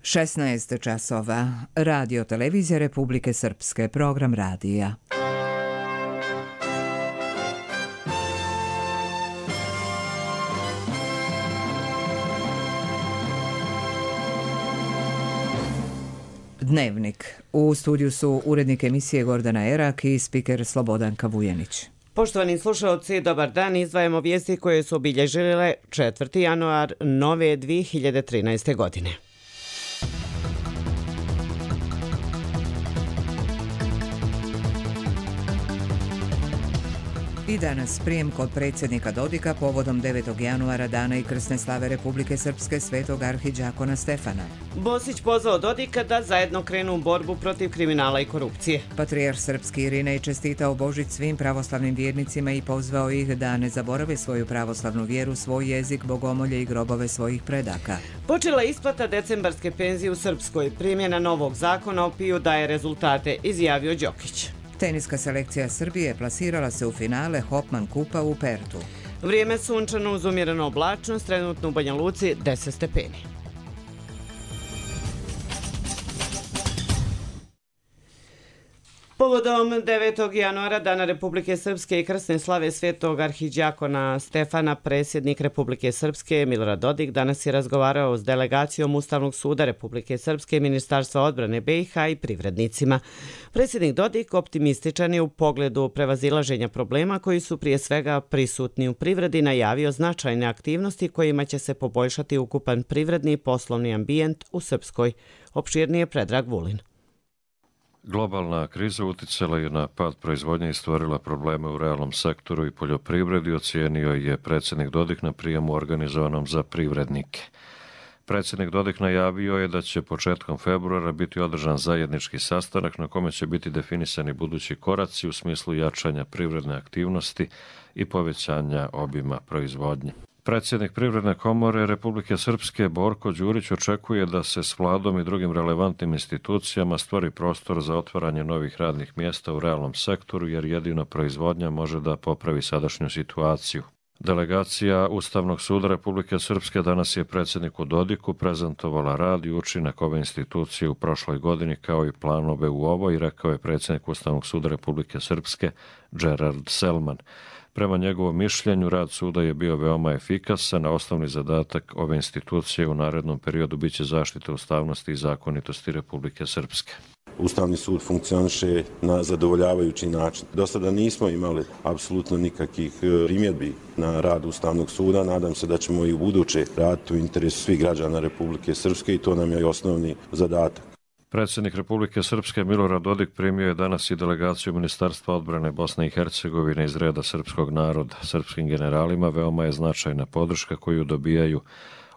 16 časova. Radio Televizija Republike Srpske. Program radija. Dnevnik. U studiju su urednik emisije Gordana Erak i spiker Slobodanka Vujenić. Poštovani slušalci, dobar dan. Izdvajamo vijesti koje su obilježile 4. januar nove 2013. godine. I danas prijem kod predsjednika Dodika povodom 9. januara dana i krsne slave Republike Srpske svetog arhidžakona Stefana. Bosić pozvao Dodika da zajedno krenu u borbu protiv kriminala i korupcije. Patrijarh srpski Irinej čestitao Božić svim pravoslavnim vjernicima i pozvao ih da ne zaborave svoju pravoslavnu vjeru, svoj jezik, bogomolje i grobove svojih predaka. Počela isplata decembarske penzije u Srpskoj. Primjena novog zakona o PIO daje rezultate, izjavio Đokić. Teniska selekcija Srbije plasirala se u finale Hopman kupa u Pertu. Vrijeme sunčano uz umjerenu oblačnost, trenutno u Banja Luci 10 stepeni. Povodom 9. januara Dana Republike Srpske i krsne slave svetog arhidžakona Stefana, predsjednik Republike Srpske Milorad Dodik danas je razgovarao s delegacijom Ustavnog suda Republike Srpske, Ministarstva odbrane BiH i privrednicima. Predsjednik Dodik optimističan je u pogledu prevazilaženja problema koji su prije svega prisutni u privredi, najavio značajne aktivnosti kojima će se poboljšati ukupan privredni i poslovni ambijent u Srpskoj. Opširnije Predrag Vulin. Globalna kriza uticala je na pad proizvodnje i stvorila probleme u realnom sektoru i poljoprivredi, ocijenio je predsjednik Dodik na prijemu organizovanom za privrednike. Predsjednik Dodik najavio je da će početkom februara biti održan zajednički sastanak na kome će biti definisani budući koraci u smislu jačanja privredne aktivnosti i povećanja obima proizvodnje. Predsjednik Privredne komore Republike Srpske Borko Đurić očekuje da se s vladom i drugim relevantnim institucijama stvori prostor za otvaranje novih radnih mjesta u realnom sektoru, jer jedino proizvodnja može da popravi sadašnju situaciju. Delegacija Ustavnog suda Republike Srpske danas je predsjedniku Dodiku prezentovala rad i učinak ove institucije u prošloj godini kao i planove u ovoj, rekao je predsjednik Ustavnog suda Republike Srpske Gerard Selman. Prema njegovom mišljenju, rad suda je bio veoma efikasan, a osnovni zadatak ove institucije u narednom periodu biće zaštita ustavnosti i zakonitosti Republike Srpske. Ustavni sud funkcioniše na zadovoljavajući način. Do sada nismo imali apsolutno nikakvih primjedbi na rad Ustavnog suda. Nadam se da ćemo i u buduće raditi u interesu svih građana Republike Srpske i to nam je i osnovni zadatak. Predsjednik Republike Srpske Milorad Dodik primio je danas i delegaciju Ministarstva odbrane Bosne i Hercegovine iz reda srpskog naroda. Srpskim generalima veoma je značajna podrška koju dobijaju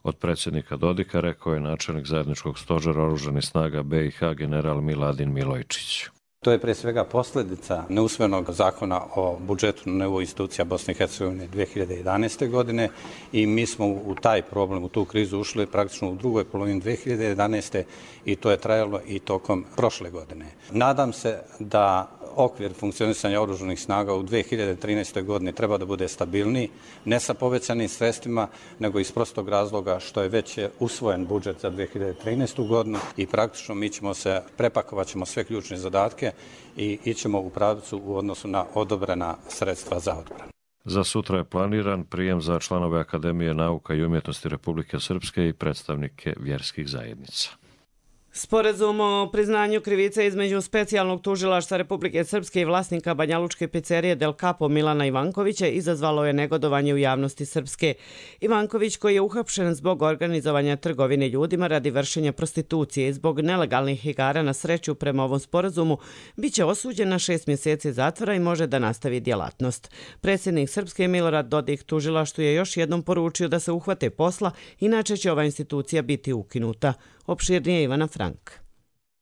od predsjednika Dodika, rekao je načelnik zajedničkog stožera oružanih snaga BiH general Miladin Milojčić. To je pre svega posljedica neusvojenog zakona o budžetu na nivou institucija Bosne i Hercegovine 2011. godine i mi smo u taj problem, u tu krizu ušli praktično u drugoj polovini 2011. i to je trajalo i tokom prošle godine. Nadam se da okvir funkcionisanja oružanih snaga u 2013. godini treba da bude stabilniji, ne sa povećanim sredstvima, nego iz prostog razloga što je već usvojen budžet za 2013. godinu i praktično mi ćemo se, prepakovat ćemo sve ključne zadatke i ićemo u pravcu u odnosu na odobrena sredstva za odbranu. Za sutra je planiran prijem za članove Akademije nauka i umjetnosti Republike Srpske i predstavnike vjerskih zajednica. Sporazum o priznanju krivice između specijalnog tužilaštva Republike Srpske i vlasnika banjalučke pizzerije Del Capo Milana Ivankovića izazvalo je negodovanje u javnosti Srpske. Ivanković, koji je uhapšen zbog organizovanja trgovine ljudima radi vršenja prostitucije i zbog nelegalnih igara na sreću prema ovom sporazumu, biće osuđen na 6 mjeseci zatvora i može da nastavi djelatnost. Predsjednik Srpske Milorad Dodik tužilaštvu je još jednom poručio da se uhvate posla, inače će ova institucija biti ukinuta. Opširnije Ivana Frank.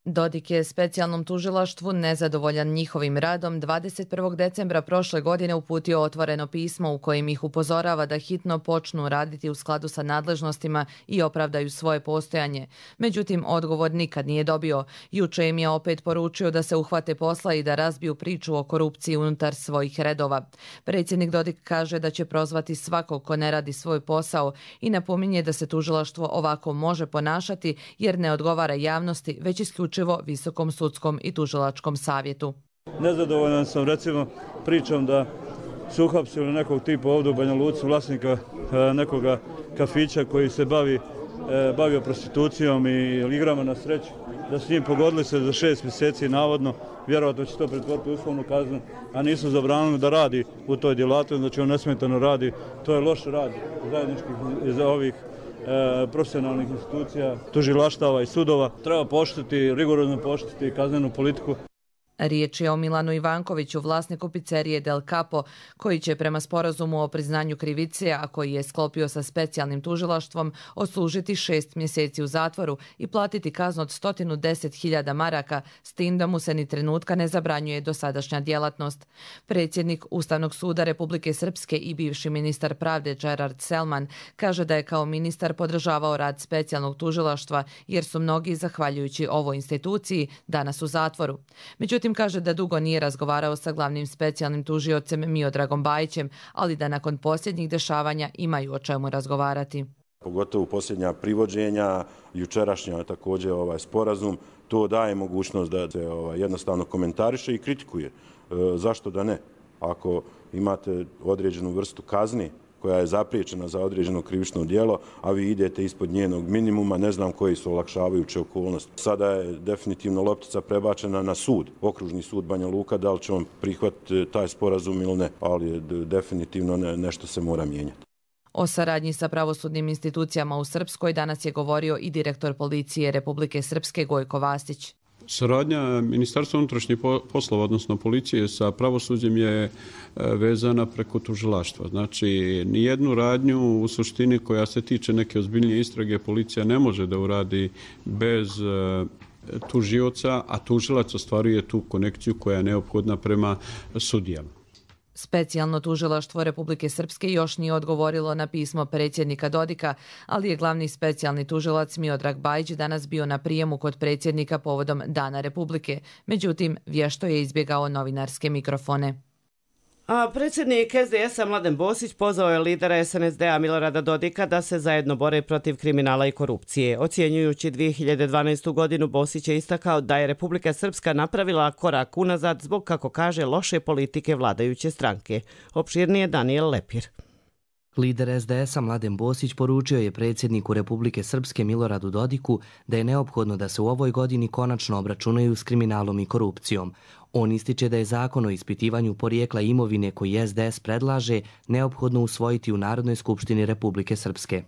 Dodik je specijalnom tužilaštvu, nezadovoljan njihovim radom, 21. decembra prošle godine uputio otvoreno pismo u kojem ih upozorava da hitno počnu raditi u skladu sa nadležnostima i opravdaju svoje postojanje. Međutim, odgovor nikad nije dobio. Juče im je opet poručio da se uhvate posla i da razbiju priču o korupciji unutar svojih redova. Predsjednik Dodik kaže da će prozvati svakog ko ne radi svoj posao i napominje da se tužilaštvo ovako može ponašati jer ne odgovara javnosti, već isključivo Visokom sudskom i tužilačkom savjetu. Nezadovoljan sam recimo pričom da su uhapsili nekog tipa ovdje u Banja Luci, vlasnika nekoga kafića koji se bavio prostitucijom i igrama na sreću, da su njim pogodili se za 6 mjeseci navodno, vjerojatno će to pretvoriti u uslovnu kaznu, a nisu zabranili da radi u toj djelatnosti, znači on nesmetano radi, to je loš rad zajedničkih za ovih profesionalnih institucija, tužilaštava i sudova. Treba poštiti, rigorozno poštiti kaznenu politiku. Riječ je o Milanu Ivankoviću, vlasniku pizzerije Del Capo, koji će prema sporazumu o priznanju krivice, a koji je sklopio sa specijalnim tužilaštvom, odslužiti 6 mjeseci u zatvoru i platiti kaznu od 110.000 maraka, s tim da mu se ni trenutka ne zabranjuje dosadašnja djelatnost. Predsjednik Ustavnog suda Republike Srpske i bivši ministar pravde Gerard Selman kaže da je kao ministar podržavao rad specijalnog tužilaštva jer su mnogi, zahvaljujući ovoj instituciji, danas u zatvoru. Međutim, kaže da dugo nije razgovarao sa glavnim specijalnim tužiocem Miodragom Bajićem, ali da nakon posljednjih dešavanja imaju o čemu razgovarati. Pogotovo posljednja privođenja, jučerašnja također sporazum, to daje mogućnost da se jednostavno komentariše i kritikuje. Zašto da ne? Ako imate određenu vrstu kazni koja je zapriječena za određeno krivično djelo, a vi idete ispod njenog minimuma, ne znam koji su olakšavajuće okolnosti. Sada je definitivno loptica prebačena na sud, okružni sud Banja Luka, da li će on prihvatiti taj sporazum ili ne, ali definitivno nešto se mora mijenjati. O saradnji sa pravosudnim institucijama u Srpskoj danas je govorio i direktor policije Republike Srpske Gojko Vastić. Saradnja Ministarstva unutrašnjih poslova, odnosno policije, sa pravosuđem je vezana preko tužilaštva. Znači, nijednu radnju u suštini koja se tiče neke ozbiljnije istrage policija ne može da uradi bez tužioca, a tužilac ostvaruje tu konekciju koja je neophodna prema sudijama. Specijalno tužilaštvo Republike Srpske još nije odgovorilo na pismo predsjednika Dodika, ali je glavni specijalni tužilac Miodrag Bajić danas bio na prijemu kod predsjednika povodom Dana Republike. Međutim, vješto je izbjegao novinarske mikrofone. A predsjednik SDS-a Mladen Bosić pozvao je lidera SNSD-a Milorada Dodika da se zajedno bore protiv kriminala i korupcije. Ocjenjujući 2012. godinu, Bosić je istakao da je Republika Srpska napravila korak unazad zbog, kako kaže, loše politike vladajuće stranke. Opširnije Daniel Lepir. Lider SDS-a Mladen Bosić poručio je predsjedniku Republike Srpske Miloradu Dodiku da je neophodno da se u ovoj godini konačno obračunaju s kriminalom i korupcijom. On ističe da je zakon o ispitivanju porijekla imovine koji SDS predlaže neophodno usvojiti u Narodnoj skupštini Republike Srpske.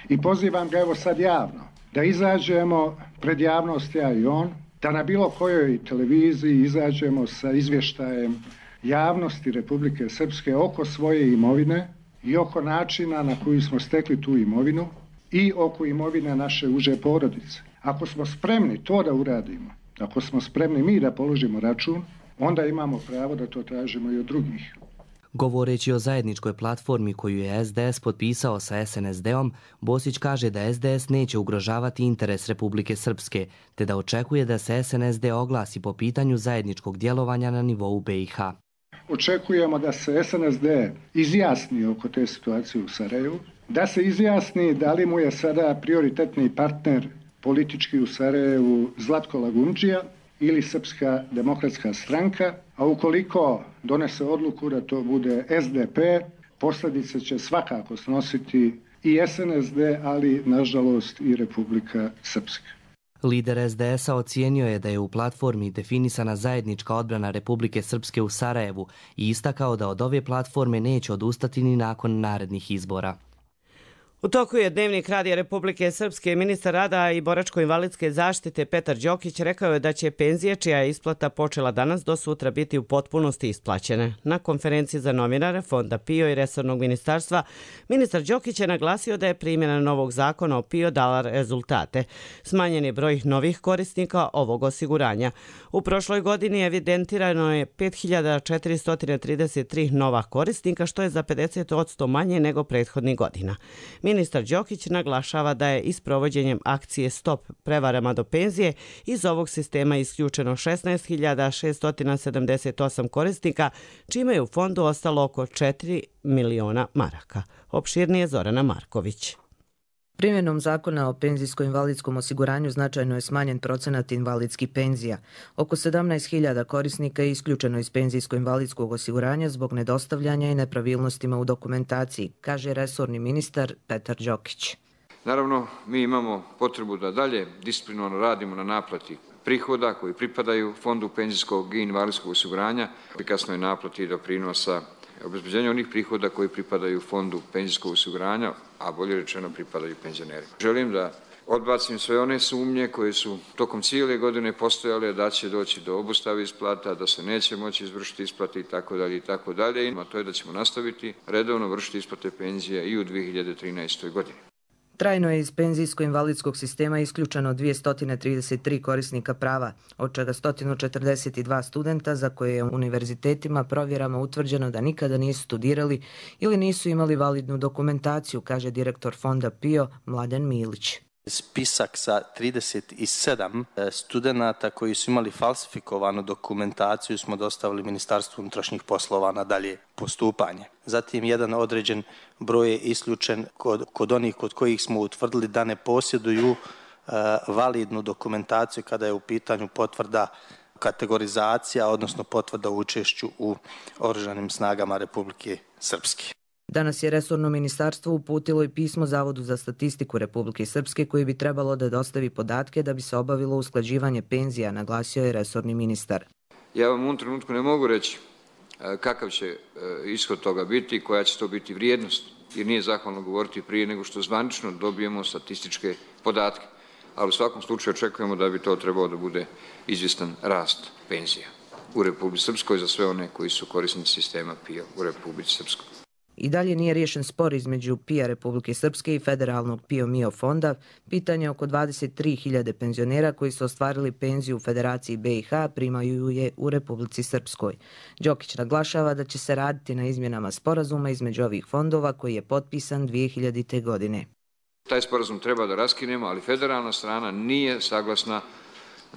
I pozivam ga evo sad javno da izađemo pred javnost, ja i on, da na bilo kojoj televiziji izađemo sa izvještajem javnosti Republike Srpske oko svoje imovine i oko načina na koji smo stekli tu imovinu i oko imovine naše uže porodice. Ako smo spremni to da uradimo, ako smo spremni mi da položimo račun, onda imamo pravo da to tražimo i od drugih. Govoreći o zajedničkoj platformi koju je SDS potpisao sa SNSD-om, Bosić kaže da SDS neće ugrožavati interes Republike Srpske, te da očekuje da se SNSD oglasi po pitanju zajedničkog djelovanja na nivou BiH. Očekujemo da se SNSD izjasni oko te situacije u Sarajevu, da se izjasni da li mu je sada prioritetni partner politički u Sarajevu Zlatko Lagundžija ili Srpska demokratska stranka, a ukoliko donese odluku da to bude SDP, posljedice će svakako snositi i SNSD, ali nažalost i Republika Srpska. Lider SDS-a ocijenio je da je u platformi definisana zajednička odbrana Republike Srpske u Sarajevu i istakao da od ove platforme neće odustati ni nakon narednih izbora. U toku je Dnevnik Radija Republike Srpske. Ministar rada i boračko-invalidske zaštite Petar Đokić rekao je da će penzije čija je isplata počela danas do sutra biti u potpunosti isplaćene. Na konferenciji za novinare Fonda PIO i resornog ministarstva, ministar Đokić je naglasio da je primjena novog zakona o PIO dala rezultate. Smanjen je broj novih korisnika ovog osiguranja. U prošloj godini evidentirano je 5433 nova korisnika, što je za 50% manje nego prethodnih godina. Ministar Đokić naglašava da je isprovođenjem akcije Stop prevarama do penzije iz ovog sistema isključeno 16.678 korisnika, čime je u fondu ostalo oko 4 miliona maraka. Opširnije Zorana Marković. Primjenom zakona o penzijsko-invalidskom osiguranju značajno je smanjen procenat invalidskih penzija. Oko 17.000 korisnika je isključeno iz penzijsko-invalidskog osiguranja zbog nedostavljanja i nepravilnostima u dokumentaciji, kaže resorni ministar Petar Đokić. Naravno, mi imamo potrebu da dalje disciplinovano radimo na naplati prihoda koji pripadaju Fondu penzijskog i invalidskog osiguranja, efikasnoj naplati doprinosa, obezbeđenje onih prihoda koji pripadaju Fondu penzijskog osiguranja, a bolje rečeno pripadaju penzionerima. Želim da odbacim sve one sumnje koje su tokom cijele godine postojale da će doći do obustave isplata, da se neće moći izvršiti isplate itd. A to je da ćemo nastaviti redovno vršiti isplate penzija i u 2013. godini. Trajno je iz penzijsko-invalidskog sistema isključeno 233 korisnika prava, od čega 142 studenta za koje je univerzitetima provjerama utvrđeno da nikada nisu studirali ili nisu imali validnu dokumentaciju, kaže direktor Fonda PIO Mladen Milić. Spisak sa 37 studenata koji su imali falsifikovanu dokumentaciju smo dostavili Ministarstvu unutrašnjih poslova na dalje postupanje. Zatim jedan određen broj je isključen kod onih kod kojih smo utvrdili da ne posjeduju validnu dokumentaciju kada je u pitanju potvrda kategorizacija, odnosno potvrda o učešću u Oružanim snagama Republike Srpske. Danas je resorno ministarstvo uputilo i pismo Zavodu za statistiku Republike Srpske koji bi trebalo da dostavi podatke da bi se obavilo usklađivanje penzija, naglasio je resorni ministar. Ja vam u ovom trenutku ne mogu reći kakav će ishod toga biti i koja će to biti vrijednost, jer nije zahvalno govoriti prije nego što zvanično dobijemo statističke podatke. Ali u svakom slučaju očekujemo da bi to trebalo da bude izvjestan rast penzija u Republici Srpskoj za sve one koji su korisnici sistema PIO u Republici Srpskoj. I dalje nije riješen spor između PIO Republike Srpske i federalnog PIO-MIO fonda. Pitanje oko 23.000 penzionera koji su ostvarili penziju u Federaciji BiH primaju je u Republici Srpskoj. Đokić naglašava da će se raditi na izmjenama sporazuma između ovih fondova koji je potpisan 2000. godine. Taj sporazum treba da raskinemo, ali federalna strana nije saglasna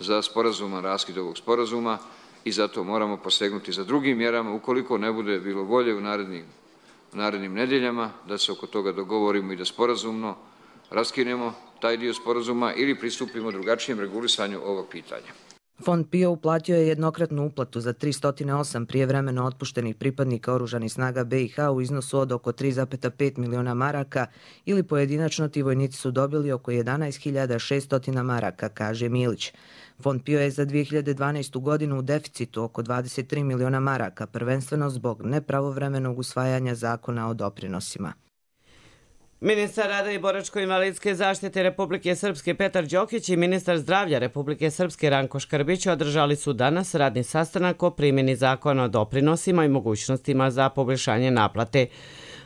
za sporazuman raskid ovog sporazuma i zato moramo posegnuti za drugim mjerama ukoliko ne bude bilo volje u narednim nedeljama da se oko toga dogovorimo i da sporazumno raskinemo taj dio sporazuma ili pristupimo drugačijem regulisanju ovog pitanja. Fond PIO uplatio je jednokratnu uplatu za 308 prijevremeno otpuštenih pripadnika Oružanih snaga BiH u iznosu od oko 3,5 miliona maraka ili pojedinačno ti vojnici su dobili oko 11.600 maraka, kaže Milić. Fond PIO je za 2012. godinu u deficitu oko 23 miliona maraka, prvenstveno zbog nepravovremenog usvajanja zakona o doprinosima. Ministar rada i boračko-invalidske zaštite Republike Srpske Petar Đokić i ministar zdravlja Republike Srpske Ranko Škrbić održali su danas radni sastanak o primjeni zakona o doprinosima i mogućnostima za poboljšanje naplate.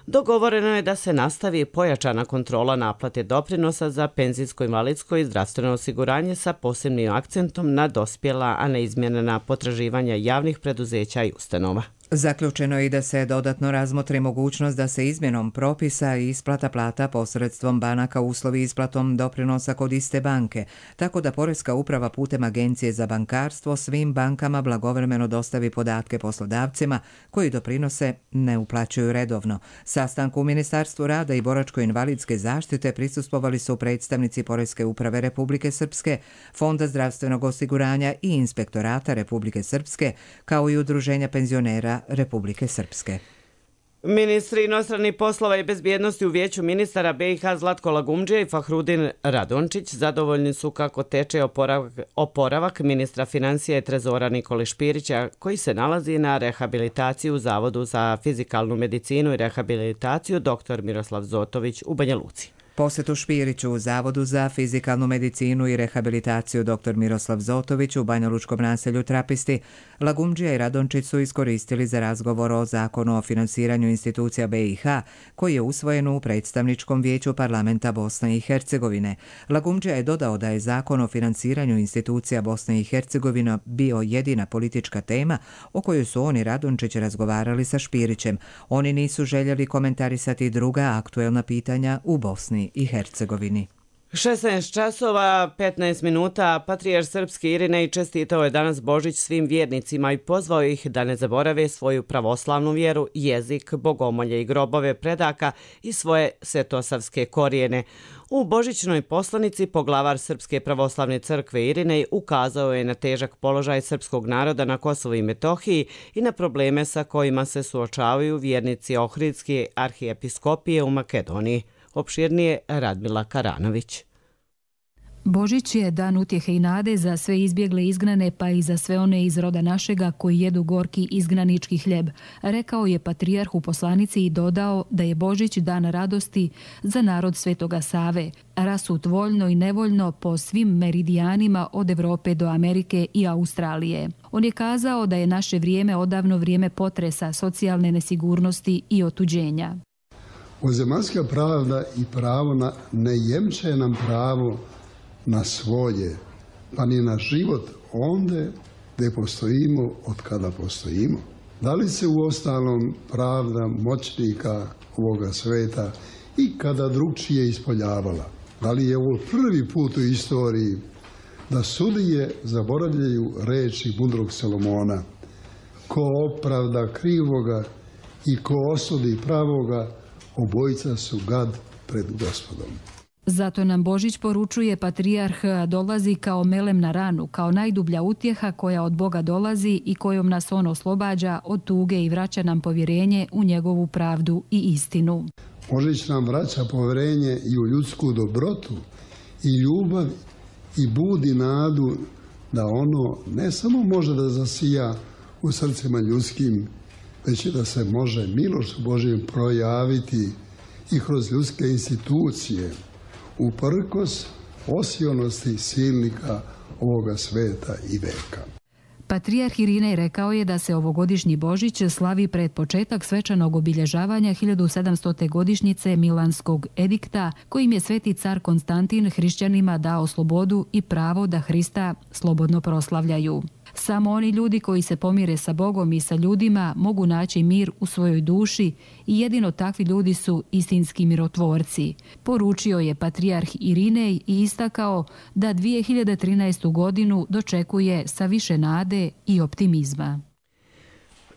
Dogovoreno je da se nastavi pojačana kontrola naplate doprinosa za penzijsko-invalidsko i zdravstveno osiguranje sa posebnim akcentom na dospjela, a neizmjenena potraživanja javnih preduzeća i ustanova. Zaključeno je i da se dodatno razmotri mogućnost da se izmjenom propisa i isplata plata posredstvom banaka uslovi isplatom doprinosa kod iste banke, tako da Poreska uprava putem Agencije za bankarstvo svim bankama blagovremeno dostavi podatke poslodavcima koji doprinose ne uplaćuju redovno. Sastanku u Ministarstvu rada i boračko-invalidske zaštite prisustvovali su predstavnici Poreske uprave Republike Srpske, Fonda zdravstvenog osiguranja i Inspektorata Republike Srpske, kao i Udruženja penzionera Republike Srpske. Ministri inostranih poslova i bezbjednosti u Vijeću ministara BiH Zlatko Lagumdžija i Fahrudin Radončić zadovoljni su kako teče oporavak ministra financija i trezora Nikole Špirića, koji se nalazi na rehabilitaciji u Zavodu za fizikalnu medicinu i rehabilitaciju dr. Miroslav Zotović u Banja Luci. Posjetu Špiriću u Zavodu za fizikalnu medicinu i rehabilitaciju dr. Miroslav Zotović u banjalučkom naselju Trapisti, Lagumdžija i Radončić su iskoristili za razgovor o zakonu o finansiranju institucija BiH, koji je usvojen u predstavničkom vijeću parlamenta Bosne i Hercegovine. Lagumdžija je dodao da je zakon o finansiranju institucija Bosne i Hercegovine bio jedina politička tema o kojoj su on i Radončić razgovarali sa Špirićem. Oni nisu željeli komentarisati druga aktuelna pitanja u Bosni i Hercegovini. 16 časova, 15 minuta, patrijarh srpski Irinej čestitao je danas Božić svim vjernicima i pozvao ih da ne zaborave svoju pravoslavnu vjeru, jezik, bogomolje i grobove predaka i svoje svetosavske korijene. U božićnoj poslanici poglavar Srpske pravoslavne crkve Irinej ukazao je na težak položaj srpskog naroda na Kosovu i Metohiji i na probleme sa kojima se suočavaju vjernici Ohridske arhijepiskopije u Makedoniji. Opširnije Radmila Karanović. Božić je dan utjehe i nade za sve izbjegle izgnane, pa i za sve one iz roda našega koji jedu gorki izgnanički hljeb, rekao je patrijarh u poslanici i dodao da je Božić dan radosti za narod Svetoga Save, rasut voljno i nevoljno po svim meridijanima od Evrope do Amerike i Australije. On je kazao da je naše vrijeme odavno vrijeme potresa, socijalne nesigurnosti i otuđenja. Ozemaljska pravda i pravo ne jemče nam pravo na svoje, pa ni na život onde gdje postojimo od kada postojimo. Da li se u ostalom pravda moćnika ovoga sveta i kada drugčije ispoljavala? Da li je ovo prvi put u istoriji da sudije zaboravljaju reči mudrog Solomona? Ko opravda krivoga i ko osudi pravoga, obojica su gad pred Gospodom. Zato nam Božić poručuje patrijarh dolazi kao melem na ranu, kao najdublja utjeha koja od Boga dolazi i kojom nas on oslobađa od tuge i vraća nam povjerenje u njegovu pravdu i istinu. Božić nam vraća povjerenje i u ljudsku dobrotu i ljubav i budi nadu da ono ne samo može da zasija u srcima ljudskim, već i da se može milošću Božjom projaviti i kroz ljudske institucije, uprkos osionosti silnika ovoga sveta i veka. Patrijarh Irinej rekao je da se ovogodišnji Božić slavi pred početak svečanog obilježavanja 1700. godišnjice Milanskog edikta, kojim je sveti car Konstantin hrišćanima dao slobodu i pravo da Hrista slobodno proslavljaju. Samo oni ljudi koji se pomire sa Bogom i sa ljudima mogu naći mir u svojoj duši i jedino takvi ljudi su istinski mirotvorci. Poručio je patrijarh Irinej i istakao da 2013. godinu dočekuje sa više nade i optimizma.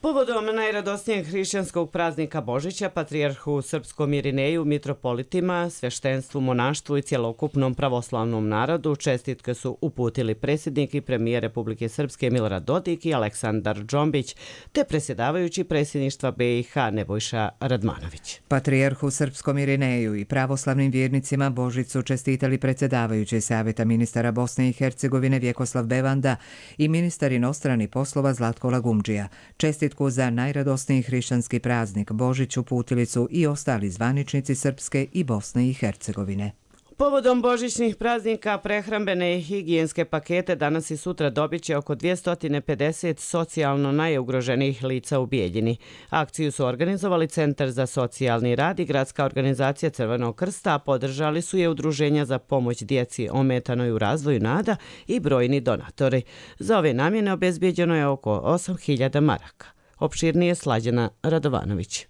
Povodom najradosnijeg hrišćanskog praznika Božića, patrijarhu srpskom Irineju, mitropolitima, sveštenstvu, monaštvu i cjelokupnom pravoslavnom narodu čestitke su uputili predsjednik i premijer Republike Srpske Milorad Dodik i Aleksandar Džombić, te predsjedavajući predsjedništva BiH Nebojša Radmanović. Patrijarhu srpskom Irineju i pravoslavnim vjernicima Božić su čestitali predsjedavajući Savjeta ministara Bosne i Hercegovine Vjekoslav Bevanda i ministar inostranih poslova Zlatko Lagumdžija. Čestitku za najradosniji hrišćanski praznik Božić uputili su i ostali zvaničnici Srpske i Bosne i Hercegovine. Povodom božićnih praznika prehrambene i higijenske pakete danas i sutra dobit će oko 250 socijalno najugroženijih lica u Bijeljini. Akciju su organizovali Centar za socijalni rad i Gradska organizacija Crvenog krsta, a podržali su je udruženja za pomoć djeci ometanoj u razvoju NADA i brojni donatori. Za ove namjene obezbijeđeno je oko 8.000 maraka. Opširnije Slađana Radovanović.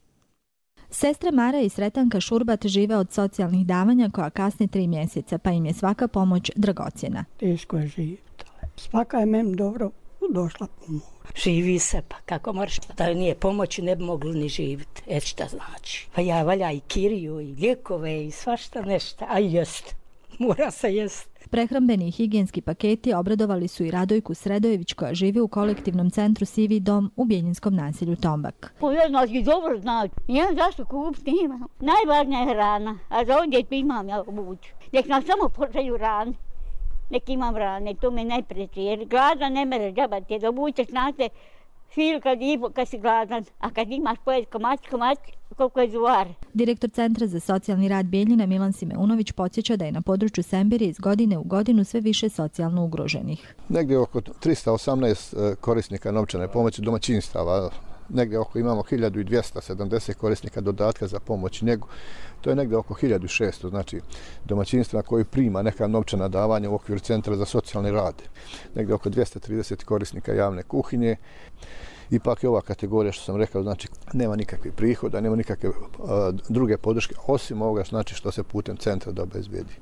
Sestre Mara i Sretanka Šurbat žive od socijalnih davanja koja kasni 3 mjeseca, pa im je svaka pomoć dragocjena. Teško je živjeti. Svaka je meni dobro došla pomoć. Živi se, pa kako moraš, da nije pomoći ne bi mogli ni živjeti. Šta znači? Pa ja valja i kiriju i lijekove i svašta nešto, a jest. Mora se jest. Prehrambeni i higijenski paketi obradovali su i Radojku Sredojević koja živi u kolektivnom centru Sivi dom u Biljinskom naselju Tombak. Znači, dobro znači. Ja zašto kupiti imam. Najvažnija je hrana, a za ovdje imam ja obuću. Nek nam samo počaju rane. Nek imam rane, to me najpreći. Jer gladan ne mere džabati, jer obućeš znate fil kad si gladan, a kad imaš pojeti komać, koliko je zuvar. Direktor Centra za socijalni rad Bijeljina Milan Simeunović podsjeća da je na području Sembirije iz godine u godinu sve više socijalno ugroženih. Negdje oko 318 korisnika novčane pomoći domaćinstava, negdje oko imamo 1270 korisnika dodatka za pomoć i njegu. To je negdje oko 1600, znači domaćinstva koji prima neka novčana davanja u okviru Centra za socijalni rad. Negdje oko 230 korisnika javne kuhinje. Ipak je ova kategorija, što sam rekao, znači nema nikakvih prihoda, nema nikakve druge podrške, osim ovoga znači što se putem centra da obezbijedi.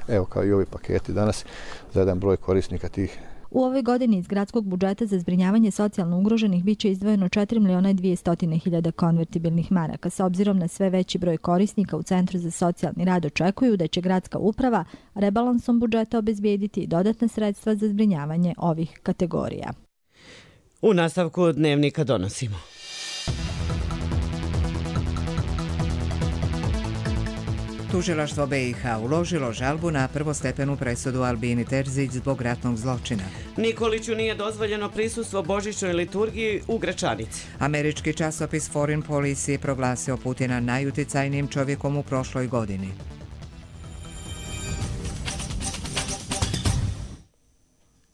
Evo kao i ovi paketi danas za jedan broj korisnika tih. U ovoj godini iz gradskog budžeta za zbrinjavanje socijalno ugroženih biće izdvojeno 4.200.000 konvertibilnih maraka. S obzirom na sve veći broj korisnika u Centru za socijalni rad očekuju da će gradska uprava rebalansom budžeta obezbijediti dodatna sredstva za zbrinjavanje ovih kategorija. U nastavku dnevnika donosimo. Tužilaštvo BiH uložilo žalbu na prvostepenu presudu Albini Terzić zbog ratnog zločina. Nikoliću nije dozvoljeno prisustvo božićnoj liturgiji u Gračanici. Američki časopis Foreign Policy je proglasio Putina najuticajnijim čovjekom u prošloj godini.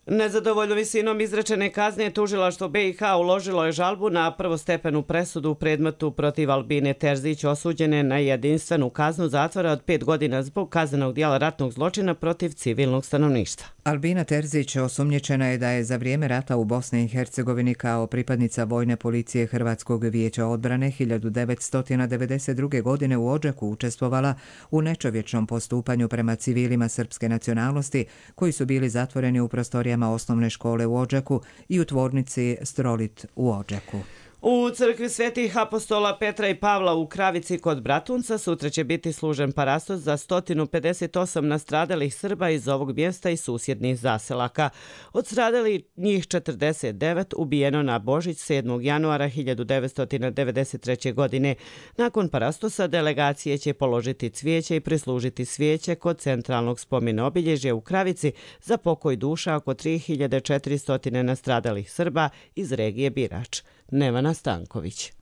Nezadovoljno visinom izrečene kazne tužilaštvo BiH uložilo je žalbu na prvostepenu presudu u predmetu protiv Albine Terzić osuđene na jedinstvenu kaznu zatvora od 5 godina zbog kaznenog dijela ratnog zločina protiv civilnog stanovništva. Albina Terzić osumnjičena je da je za vrijeme rata u Bosni i Hercegovini kao pripadnica vojne policije Hrvatskog vijeća odbrane 1992. godine u Odžaku učestvovala u nečovječnom postupanju prema civilima srpske nacionalnosti koji su bili zatvoreni u prostorijama osnovne škole u Odžaku i u tvornici Strolit u Odžaku. U crkvi Svetih apostola Petra i Pavla u Kravici kod Bratunca sutra će biti služen parastos za 158 nastradalih Srba iz ovog mjesta i susjednih zaselaka. Od stradalih njih 49 ubijeno na Božić 7. januara 1993. godine. Nakon parastosa delegacije će položiti cvijeće i prislužiti svijeće kod centralnog spomena obilježja u Kravici za pokoj duša oko 3400 nastradalih Srba iz regije Birač. Nevana Stanković.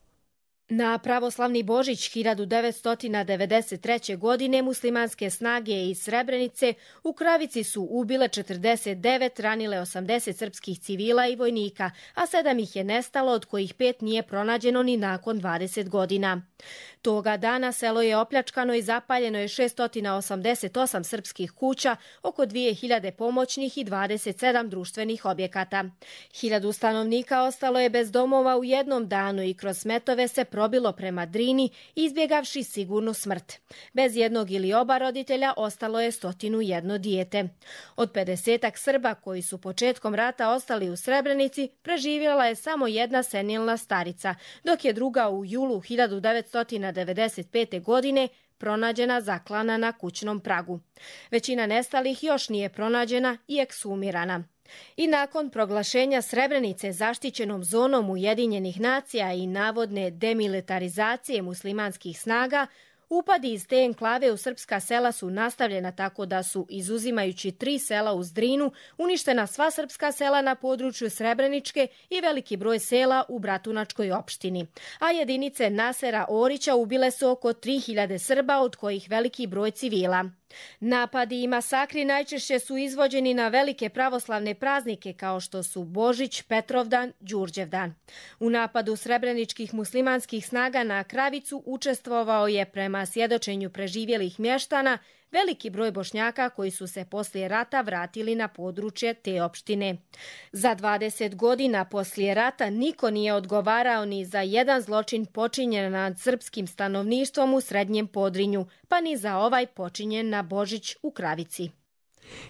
Na pravoslavni Božić 1993. godine muslimanske snage iz Srebrenice u Kravici su ubile 49, ranile 80 srpskih civila i vojnika, a 7 ih je nestalo, od kojih 5 nije pronađeno ni nakon 20 godina. Toga dana selo je opljačkano i zapaljeno je 688 srpskih kuća, oko 2000 pomoćnih i 27 društvenih objekata. 1000 stanovnika ostalo je bez domova u jednom danu i kroz smetove se probilo prema Drini, izbjegavši sigurnu smrt. Bez jednog ili oba roditelja ostalo je 101 dijete. Od 50 Srba koji su početkom rata ostali u Srebrenici, preživjela je samo jedna senilna starica, dok je druga u julu 1995. godine pronađena zaklana na kućnom pragu. Većina nestalih još nije pronađena i ekshumirana. I nakon proglašenja Srebrenice zaštićenom zonom Ujedinjenih nacija i navodne demilitarizacije muslimanskih snaga, upadi iz te enklave u srpska sela su nastavljena tako da su, izuzimajući 3 sela uz Drinu, uništena sva srpska sela na području Srebreničke i veliki broj sela u Bratunačkoj opštini. A jedinice Nasera Orića ubile su oko 3000 Srba, od kojih veliki broj civila. Napadi i masakri najčešće su izvođeni na velike pravoslavne praznike kao što su Božić, Petrovdan, Đurđevdan. U napadu srebreničkih muslimanskih snaga na Kravicu učestvovao je, prema svjedočenju preživjelih mještana, veliki broj Bošnjaka koji su se poslije rata vratili na područje te opštine. Za 20 godina poslije rata niko nije odgovarao ni za jedan zločin počinjen nad srpskim stanovništvom u Srednjem Podrinju, pa ni za ovaj počinjen na Božić u Kravici.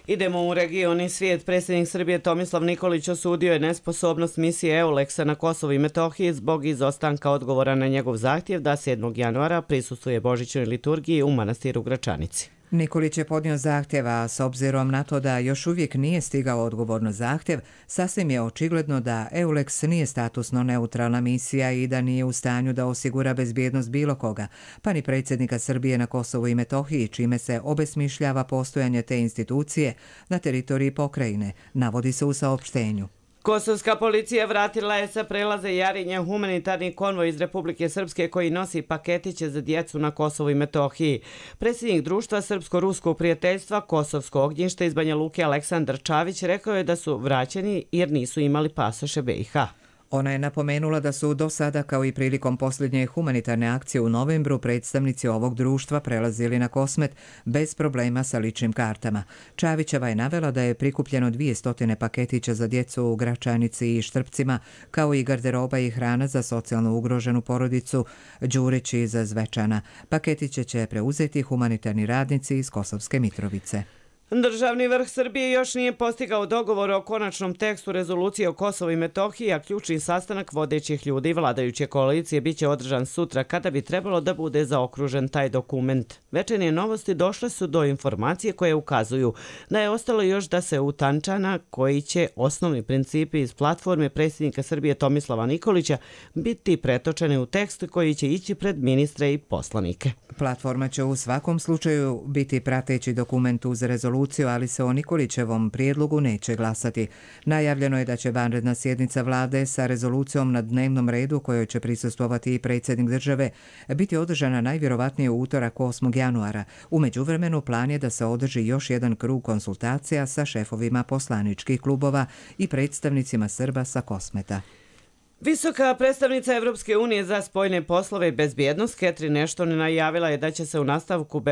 Idemo u region i svijet. Predsjednik Srbije Tomislav Nikolić osudio je nesposobnost misije EULEX-a na Kosovu i Metohiji zbog izostanka odgovora na njegov zahtjev da 7. januara prisustvuje božićnoj liturgiji u manastiru Gračanici. Nikolić je podnio zahtjev, a s obzirom na to da još uvijek nije stigao odgovor na zahtjev, sasvim je očigledno da EULEX nije statusno neutralna misija i da nije u stanju da osigura bezbjednost bilo koga, pa ni predsjednika Srbije na Kosovu i Metohiji, čime se obesmišljava postojanje te institucije na teritoriji pokrajine, navodi se u saopštenju. Kosovska policija vratila je sa prelaza Jarinje humanitarni konvoj iz Republike Srpske koji nosi paketiće za djecu na Kosovu i Metohiji. Predsjednik društva Srpsko-ruskog prijateljstva Kosovsko ognjište iz Banja Luke Aleksandar Čavić rekao je da su vraćeni jer nisu imali pasoše BiH. Ona je napomenula da su do sada, kao i prilikom posljednje humanitarne akcije u novembru, predstavnici ovog društva prelazili na Kosmet bez problema sa ličnim kartama. Čavićeva je navela da je prikupljeno 200 paketića za djecu u Gračanici i Štrpcima, kao i garderoba i hrana za socijalno ugroženu porodicu Đurić iz Zvečana. Paketiće će preuzeti humanitarni radnici iz Kosovske Mitrovice. Državni vrh Srbije još nije postigao dogovor o konačnom tekstu rezolucije o Kosovu i Metohiji, a ključni sastanak vodećih ljudi vladajuće koalicije biće održan sutra kada bi trebalo da bude zaokružen taj dokument. Večernje novosti došle su do informacije koje ukazuju da je ostalo još da se utanča na koji će osnovni principi iz platforme predsjednika Srbije Tomislava Nikolića biti pretočeni u tekst koji će ići pred ministre i poslanike. Platforma će u svakom slučaju biti prateći dokument uz rezoluciju, ali se o Nikolićevom prijedlogu neće glasati. Najavljeno je da će vanredna sjednica vlade sa rezolucijom na dnevnom redu, kojoj će prisustvovati i predsjednik države, biti održana najvjerovatnije u utorak 8. januara. U međuvremenu plan je da se održi još jedan krug konsultacija sa šefovima poslaničkih klubova i predstavnicima Srba sa Kosmeta. Visoka predstavnica Evropske unije za spoljne poslove i bezbjednost Catherine Ashton najavila je da će se u nastavku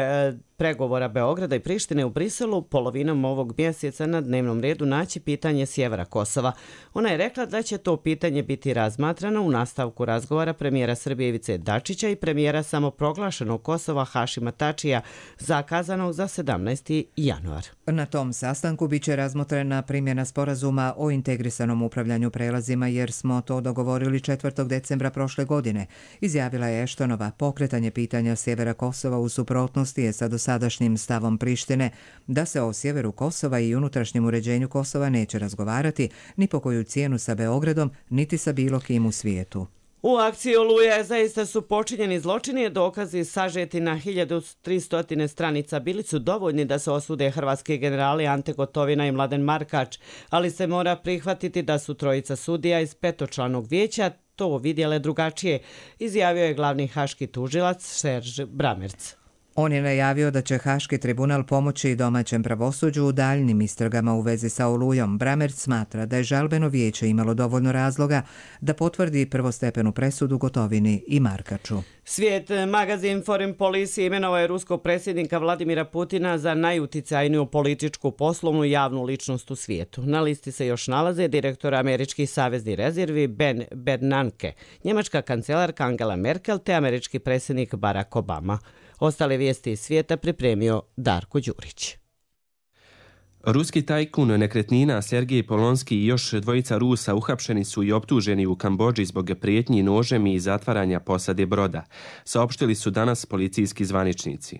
pregovora Beograda i Prištine u Briselu polovinom ovog mjeseca na dnevnom redu naći pitanje sjevera Kosova. Ona je rekla da će to pitanje biti razmatrano u nastavku razgovora premijera Srbije Ivice Dačića i premijera samoproglašenog Kosova Hašima Tačija, zakazanog za 17. januar. Na tom sastanku biće razmotrena primjena sporazuma o integrisanom upravljanju prelazima, jer smo to dogovorili 4. decembra prošle godine, izjavila je Ashtonova. Pokretanje pitanja sjevera Kosova u suprotnosti je sa dosadašnjim stavom Prištine da se o sjeveru Kosova i unutrašnjem uređenju Kosova neće razgovarati ni po koju cijenu sa Beogradom, niti sa bilo kim u svijetu. U akciji Oluja zaista su počinjeni zločini, dokazi sažeti na 1300 stranica bili su dovoljni da se osude hrvatski generali Ante Gotovina i Mladen Markač, ali se mora prihvatiti da su trojica sudija iz petočlanog vijeća to vidjele drugačije, izjavio je glavni haški tužilac Serž Bramerc. On je najavio da će Haški tribunal pomoći domaćem pravosuđu u daljnim istragama u vezi sa Olujom. Bramerc smatra da je žalbeno vijeće imalo dovoljno razloga da potvrdi prvostepenu presudu Gotovini i Markaču. Svijet magazin Foreign Policy imenovao je ruskog predsjednika Vladimira Putina za najuticajniju političku, poslovnu i javnu ličnost u svijetu. Na listi se još nalaze direktor američkih saveznih rezervi Ben Bernanke, njemačka kancelarka Angela Merkel te američki predsjednik Barack Obama. Ostale vijesti iz svijeta pripremio Darko Đurić. Ruski tajkun nekretnina Sergej Polonski i još dvojica Rusa uhapšeni su i optuženi u Kambodži zbog prijetnji nožem i zatvaranja posade broda, saopštili su danas policijski zvaničnici.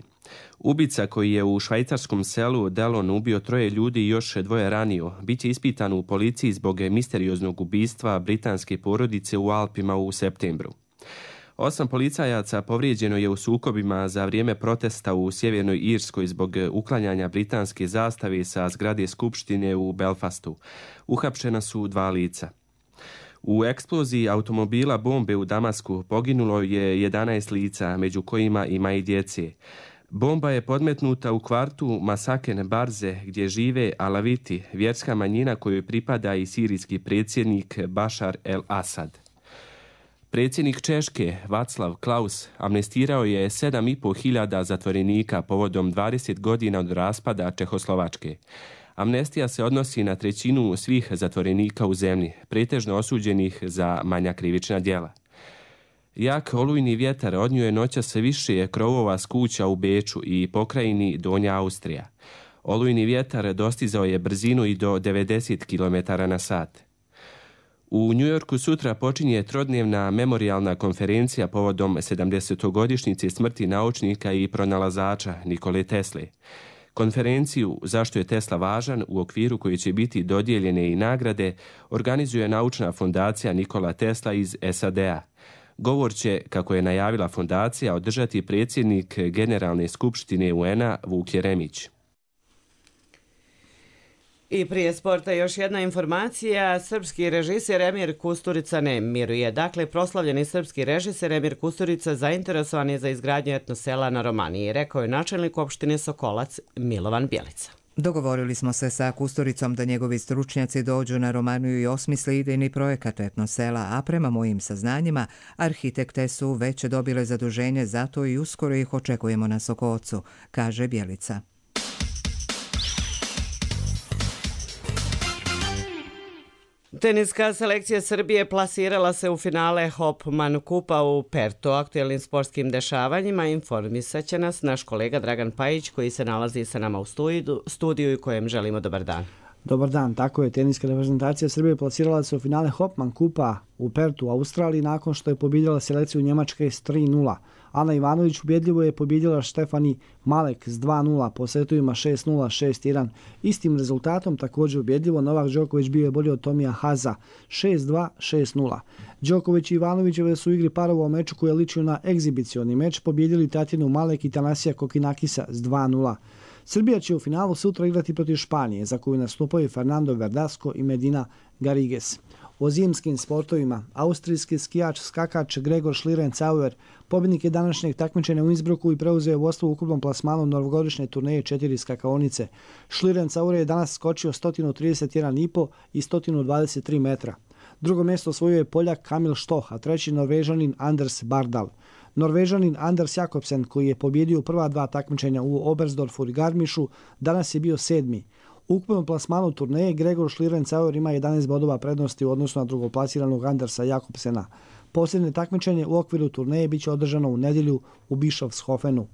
Ubica koji je u švajcarskom selu Delon ubio 3 ljudi i još 2 ranio, bit će ispitan u policiji zbog misterioznog ubistva britanske porodice u Alpima u septembru. 8 policajaca povrijeđeno je u sukobima za vrijeme protesta u Sjevernoj Irskoj zbog uklanjanja britanske zastave sa zgrade Skupštine u Belfastu. Uhapšena su 2 lica. U eksploziji automobila bombe u Damasku poginulo je 11 lica, među kojima ima i djece. Bomba je podmetnuta u kvartu Masaken Barze, gdje žive Alaviti, vjerska manjina kojoj pripada i sirijski predsjednik Bašar el-Asad. Predsjednik Češke, Václav Klaus, amnestirao je 7.500 zatvorenika povodom 20 godina od raspada Čehoslovačke. Amnestija se odnosi na 1/3 svih zatvorenika u zemlji, pretežno osuđenih za manja krivična djela. Jak olujni vjetar odnio je noćas više krovova s kuća u Beču i pokrajini Donja Austrija. Olujni vjetar dostizao je brzinu i do 90 km/h. U Njujorku sutra počinje trodnevna memorijalna konferencija povodom 70-godišnjice smrti naučnika i pronalazača Nikole Tesle. Konferenciju Zašto je Tesla važan, u okviru koji će biti dodijeljene i nagrade, organizuje naučna fondacija Nikola Tesla iz SAD-a. Govor će, kako je najavila fondacija, održati predsjednik Generalne skupštine UN-a Vuk Jeremić. I prije sporta još jedna informacija. Srpski režiser Emir Kusturica ne miruje. Dakle, proslavljeni srpski režiser Emir Kusturica zainteresovan je za izgradnju etnosela na Romaniji, rekao je načelnik opštine Sokolac Milovan Bjelica. Dogovorili smo se sa Kusturicom da njegovi stručnjaci dođu na Romaniju i osmisle idejni projekat etnosela, a prema mojim saznanjima, arhitekte su već dobile zaduženje za to i uskoro ih očekujemo na Sokocu, kaže Bjelica. Teniska selekcija Srbije plasirala se u finale Hopman Kupa u Pertu. Aktuelnim sportskim dešavanjima informisat će nas naš kolega Dragan Pajić, koji se nalazi sa nama u studiju i kojem želimo dobar dan. Dobar dan, tako je. Teniska reprezentacija Srbije plasirala se u finale Hopman Kupa u Pertu u Australiji nakon što je pobjedila selekciju Njemačke s 3-0. Ana Ivanović ubjedljivo je pobjedila Štefani Malek s 2-0 po setovima 6-0, 6-1. Istim rezultatom također ubjedljivo Novak Đoković bio je bolji od Tomija Haza 6-2, 6-0. Đoković i Ivanovićeve su u igri parova u meču koji je ličio na egzibicioni meč pobjedili Tatjanu Malek i Tanasija Kokinakisa s 2-0. Srbija će u finalu sutra igrati protiv Španije, za koju nastupaju Fernando Verdasco i Medina Garrigues. O zimskim sportovima, austrijski skijač skakač Gregor Schlierencauer pobjednik je današnjeg takmičenja u Innsbrucku i preuzeo vodstvo u ukupnom plasmanu novogodišnje turneje 4 skakaonice. Schlierencauer je danas skočio 131,5 i 123 metra. Drugo mjesto osvojio je Poljak Kamil Štoh, a treći Norvežanin Anders Bardal. Norvežanin Anders Jakobsen, koji je pobjedio prva dva takmičenja u Oberstdorfu i Garmišu, danas je bio 7. U ukupnom plasmanu turneje Gregor Schlierencauer ima 11 bodova prednosti u odnosu na drugoplasiranog Andersa Jakobsena. Posljednje takmičenje u okviru turneje biće održano u nedjelju u Bischofshofenu.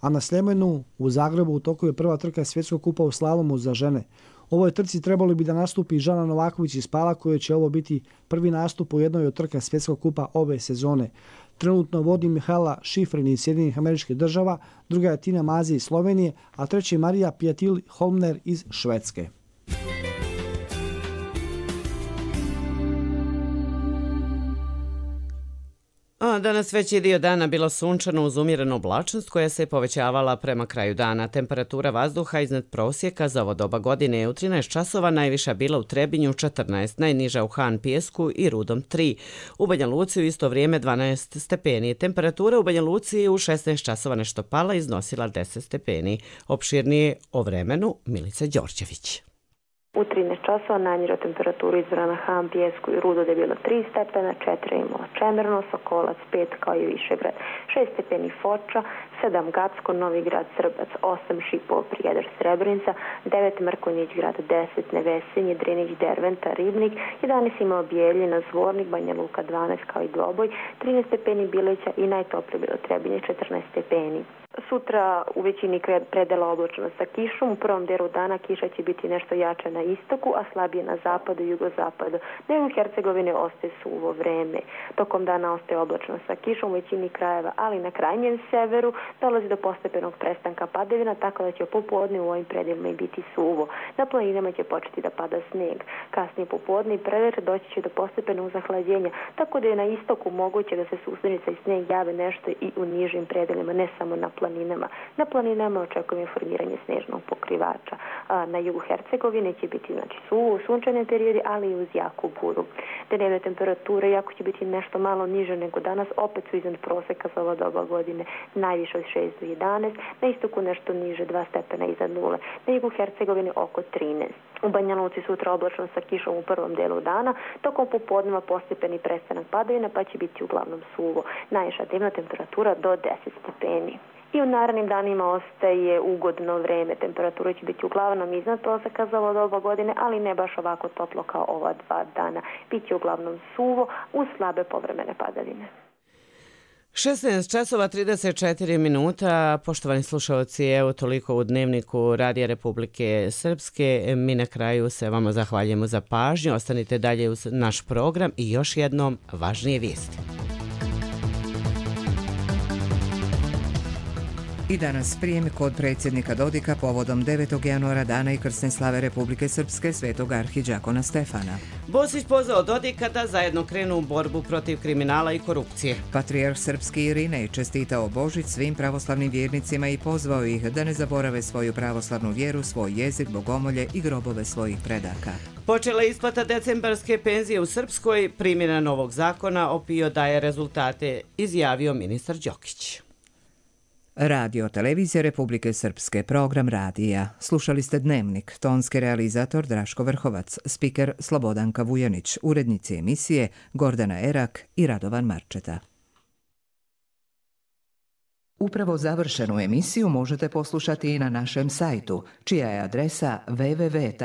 A na Sljemenu u Zagrebu u toku je prva trka svjetskog kupa u slalomu za žene. U ovoj trci trebalo bi da nastupi Žana Novaković iz Pala, koji će ovo biti prvi nastup u jednoj od trka svjetskog kupa ove sezone. Trenutno vodi Mihaela Šifrin iz Sjedinjenih Američkih Država, druga je Tina Mazi iz Slovenije, a treći je Marija Pjatil Holmner iz Švedske. Danas veći dio dana bilo sunčano uz umjerenu oblačnost koja se povećavala prema kraju dana. Temperatura vazduha iznad prosjeka za ovo doba godine je u 13 časova najviša bila u Trebinju 14, najniža u Han Pijesku i Rudom 3. U Banja Luci u isto vrijeme 12 stepeni. Temperatura u Banja Luci u 16 časova nešto pala, iznosila 10 stepeni. Opširnije o vremenu Milica Đorđević. U 13 časova najniža temperatura izvora na Han, Pijesku i Rudo je bilo 3 stepena, 4 imala Čemerno, Sokolac 5 kao i Višegrad, 6 stepeni Foča, 7 Gacko, Novi Grad, Srbac, 8 Šipov, Prijedor, Srebrenica, 9 Mrkonjić grad, 10 Nevesinje, Drinić, Derventa, Ribnik, 11 imao Bijeljina, Zvornik, Banja Luka 12 kao i Dvoboj, 13 stepeni Bileća i najtoplije bilo Trebinje 14 stepeni. Sutra u većini predela oblačno sa kišom. U prvom delu dana kiša će biti nešto jača na istoku, a slabije na zapadu i jugozapadu. Na jugu Hercegovine ostaje suvo vreme. Tokom dana ostaje oblačno sa kišom u većini krajeva, ali na krajnjem severu dolazi do postepenog prestanka padavina, tako da će popodne u ovim predelima i biti suvo. Na planinama će početi da pada sneg. Kasnije popodne i prevečer doći će do postepenog zahlađenja, tako da je na istoku moguće da se susrenica i sneg jave nešto i u nižim predelima, ne samo na planinama. Na planinama očekujemo formiranje snežnog pokrivača. Na jugu Hercegovine će biti suvo u sunčane periodi, ali i uz jaku buru. Dnevne temperature, jako će biti nešto malo niže nego danas, opet su iznad proseka za ova doba godine, najviše od 6 do 11, na istoku nešto niže 2 stepena iznad nule, na jugu Hercegovine oko 13. U Banja Luci sutra oblačno sa kišom u prvom delu dana, tokom popodneva postepeni prestanak padavina, pa će biti uglavnom suvo. Najviša dnevna temperatura do 10 stepeni. I u narednim danima ostaje ugodno vreme. Temperatura će biti uglavnom iznad proseka za ovo doba godine, ali ne baš ovako toplo kao ova 2 dana. Biće uglavnom suvo uz slabe povremene padavine. 16 časova 34 minuta, poštovani slušalci, evo toliko u dnevniku Radija Republike Srpske. Mi na kraju se vama zahvaljujemo za pažnju, ostanite dalje uz naš program i još jednom važnije vijesti. I danas prijem kod predsjednika Dodika povodom 9. januara dana i krsne slave Republike Srpske svetog arhidžakona Stefana. Bosić pozvao Dodika da zajedno krenu u borbu protiv kriminala i korupcije. Patrijarh srpski Irinej čestitao Božić svim pravoslavnim vjernicima i pozvao ih da ne zaborave svoju pravoslavnu vjeru, svoj jezik, bogomolje i grobove svojih predaka. Počela je isplata decembarske penzije u Srpskoj, primjena novog zakona o PIO daje rezultate, izjavio ministar Đokić. Radio Televizija Republike Srpske, program radija. Slušali ste Dnevnik, tonski realizator Draško Vrhovac, spiker Slobodanka Vujanić, urednici emisije Gordana Erak i Radovan Marčeta. Upravo završenu emisiju možete poslušati i na našem sajtu, čija je adresa www.rtrs.tv.